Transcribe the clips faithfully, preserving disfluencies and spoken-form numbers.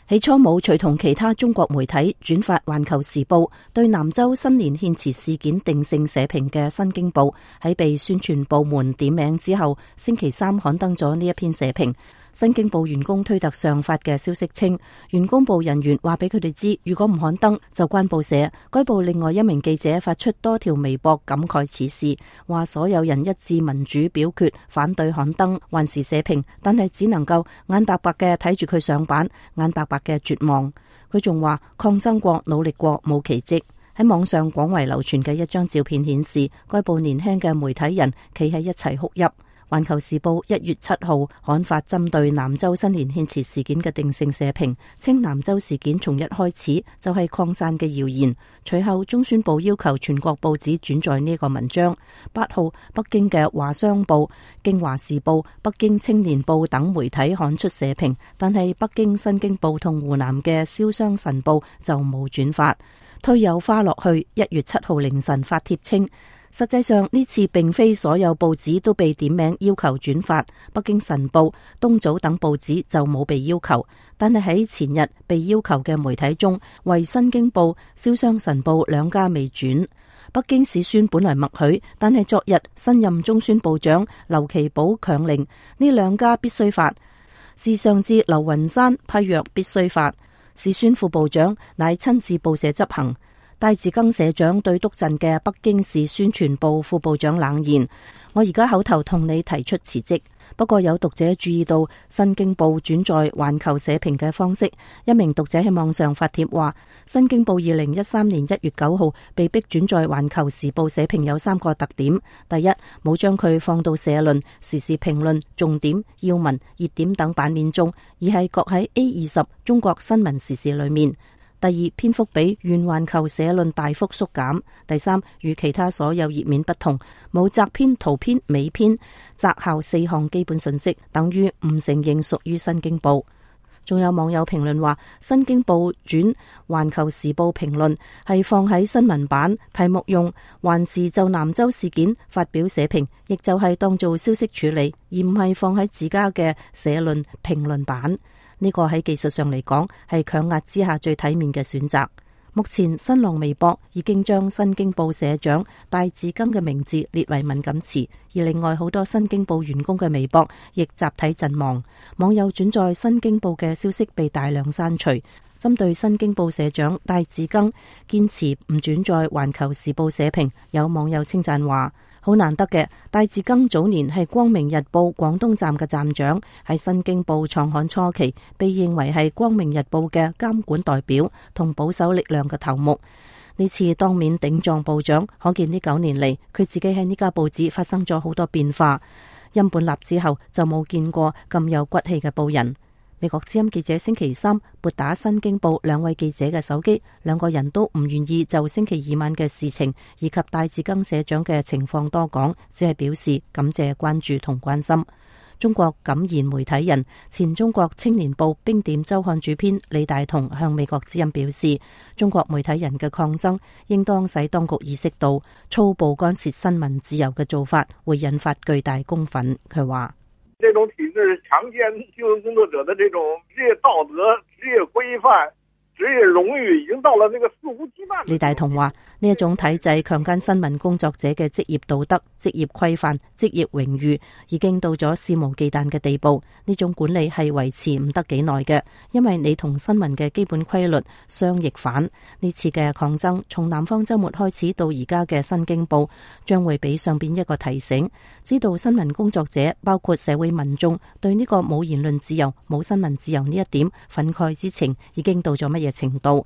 起初冇隨同其他中國媒體轉發《環球時報》對南州新年獻辭事件定性社評嘅《新京報》，喺被宣傳部門點名之後，星期三刊登咗呢一篇社評。新京報員工推特上發嘅消息稱，員工部人員話俾佢哋知，如果唔刊登就關報社。該報另外一名記者發出多條微博感慨此事，話所有人一致民主表決反對刊登環時社評，但係只能夠眼白白嘅睇住佢上版，眼白白嘅絕望。佢仲話抗爭過努力過冇奇蹟。喺網上廣為流傳嘅一張照片顯示，該報年輕嘅媒體人企喺一齊哭泣。環球時報一月七號刊發針對南州新年獻辭事件嘅定性社評，稱南州事件從一開始就係擴散嘅謠言。隨後中宣部要求全國報紙轉載呢個文章。八號北京嘅華商報、京華時報、北京青年報等媒體刊出社評，但係北京新京報同湖南嘅瀟湘晨報就冇轉發。推有花落去一月七號凌晨發帖稱，實際上呢次並非所有報紙都被點名要求轉發，北京晨報、東早等報紙就冇被要求，但係喺前日被要求嘅媒體中，為新京報、瀟湘晨報兩家未轉。北京市宣本來默許，但係昨日新任中宣部長劉奇葆強令呢兩家必須發，是上至劉雲山批曰必須發，市宣副部長乃親自報社執行。戴志庚社長對督陣嘅北京市宣傳部副部長冷言：我而家口頭同你提出辭職。不過有讀者注意到新京報轉載環球社評嘅方式，一名讀者喺網上發帖話，新京報二零一三年一月九號被逼轉載環球時報社評有三個特點：第一，冇將佢放到社論、時事評論、重點、要聞、熱點等版面中，而係擱喺 A 二十中國新聞時事裏面。第二，篇幅比原環球社論大幅縮減。第三，與其他所有頁面不同，冇摘編、圖篇、美篇、摘校四項基本信息，等於唔承認屬於新京報。仲有網友評論話，新京報轉環球時報評論係放喺新聞版，題目用環時就南州事件發表社評，亦就係當做消息處理，而唔係放喺自家嘅社論評論版。呢個喺技術上嚟講係強壓之下最體面嘅選擇。目前新浪微博已經將新京報社長戴志庚嘅名字列為敏感詞，而另外好多新京報員工嘅微博亦集體陣亡。網友轉載新京報嘅消息被大量刪除。針對新京報社長戴志庚堅持唔轉載環球時報社評，有網友稱讚話，好難得嘅，戴志庚早年係光明日報廣東站嘅站長，喺新京報創刊初期被認為係光明日報嘅監管代表同保守力量嘅頭目。呢次當面頂撞部長，可見呢九年嚟佢自己喺呢家報紙發生咗好多變化。因本立之後就冇見過咁有骨氣嘅報人。美國之音記者星期三撥打新京報兩位記者嘅手機，兩個人都唔願意就星期二晚嘅事情以及戴志庚社長嘅情況多講，只係表示感謝關注同關心。中國敢言媒體人、前中國青年報冰點周刊主編李大同向美國之音表示，中國媒體人嘅抗爭應當使當局意識到粗暴干涉新聞自由嘅做法會引發巨大公憤。佢話，這種體制強姦新聞工作者的這種職業道德、職業規範、職業榮譽，已經到了那個肆無忌憚。李大同話，呢一種體制強姦新聞工作者嘅職業道德、職業規範、職業榮譽，已經到咗肆無忌憚嘅地步。呢種管理係維持唔得幾耐嘅，因為你同新聞嘅基本規律相逆反。呢次嘅抗爭從南方周末開始到而家嘅新京報，將會俾上邊一個提醒，知道新聞工作者包括社會民眾對呢個冇言論自由、冇新聞自由呢一點憤慨之情已經到咗乜嘢程度。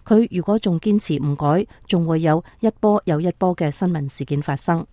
佢如果仲堅持唔改，仲會有一波又一波嘅新聞事件發生。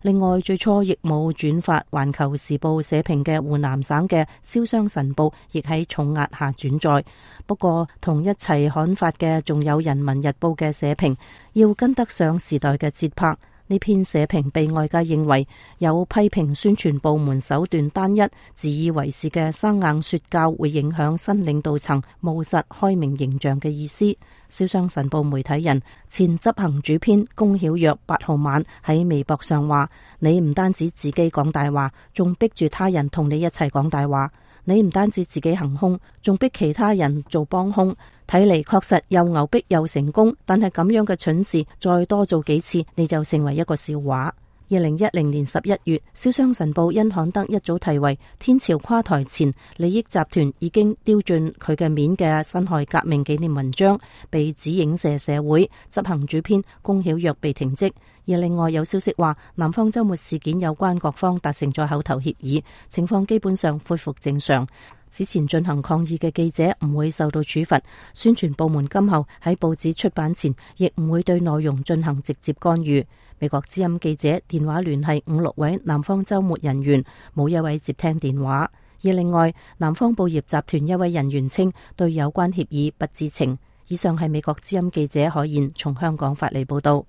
另外，最初亦冇轉發環球時報社評嘅湖南省嘅瀟湘晨報亦喺重壓下轉載。不過同一齊刊發嘅仲有人民日報嘅社評，要跟得上時代嘅節拍。呢篇社評被外界認為有批評宣傳部門手段單一、自以為是嘅生硬說教，會影響新領導層務實開明形象嘅意思。瀟湘晨報媒體人、前執行主編龔曉若八號晚喺微博上話：你唔單止自己講大話，仲逼住他人同你一齊講大話。你唔單止自己行兇，仲逼其他人做幫兇，睇嚟確實又牛逼又成功。但係咁樣嘅蠢事再多做幾次，你就成為一個笑話。二零一零年十一月，瀟湘神報因刊登一早題為《天朝垮台前，利益集團已經丟盡佢嘅面》嘅辛亥革命紀念文章，被指影射社會。執行主編龔曉躍被停職。而另外有消息話，南方周末事件有關各方達成咗口頭協議，情況基本上恢復正常。之前進行抗議嘅記者唔會受到處罰，宣傳部門今後喺報紙出版前亦唔會對內容進行直接干預。美國之音記者電話聯繫五六位南方周末人員，冇一位接聽電話。而另外，南方報業集團一位人員稱對有關協議不知情。以上係美國之音記者海燕從香港發嚟報道。